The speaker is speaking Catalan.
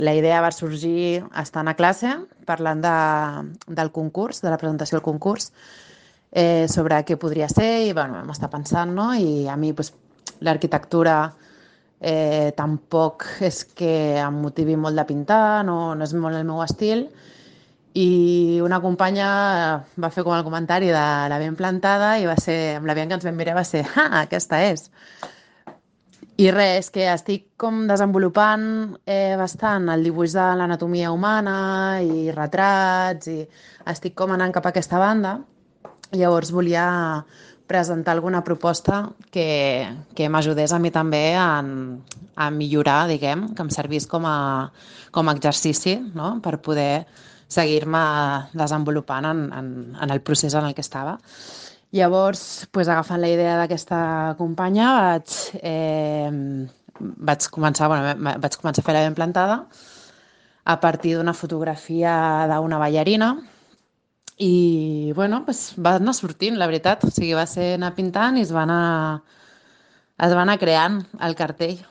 La idea va sorgir estant a classe, parlant del concurs, de la presentació del concurs, sobre què podria ser i bueno, vam estar pensant, no? I a mi doncs, l'arquitectura tampoc és que em motivi molt de pintar, no és molt el meu estil, i una companya va fer com el comentari de la ben plantada i va ser, amb la Bianca ens vam mirar va ser, ah, aquesta és. I res, que estic com desenvolupant bastant el dibuix de l'anatomia humana i retrats i estic com anant cap a aquesta banda. Llavors volia presentar alguna proposta que m'ajudés a mi també a millorar, diguem, que em servís com a exercici, no? Per poder seguir-me desenvolupant en el procés en el que estava. Llavors, pues, agafant la idea d'aquesta companya, vaig començar a fer la ben plantada a partir d'una fotografia d'una ballarina i, bueno, pues, va anar sortint, la veritat. O sigui, va ser anar pintant i es va anar creant el cartell.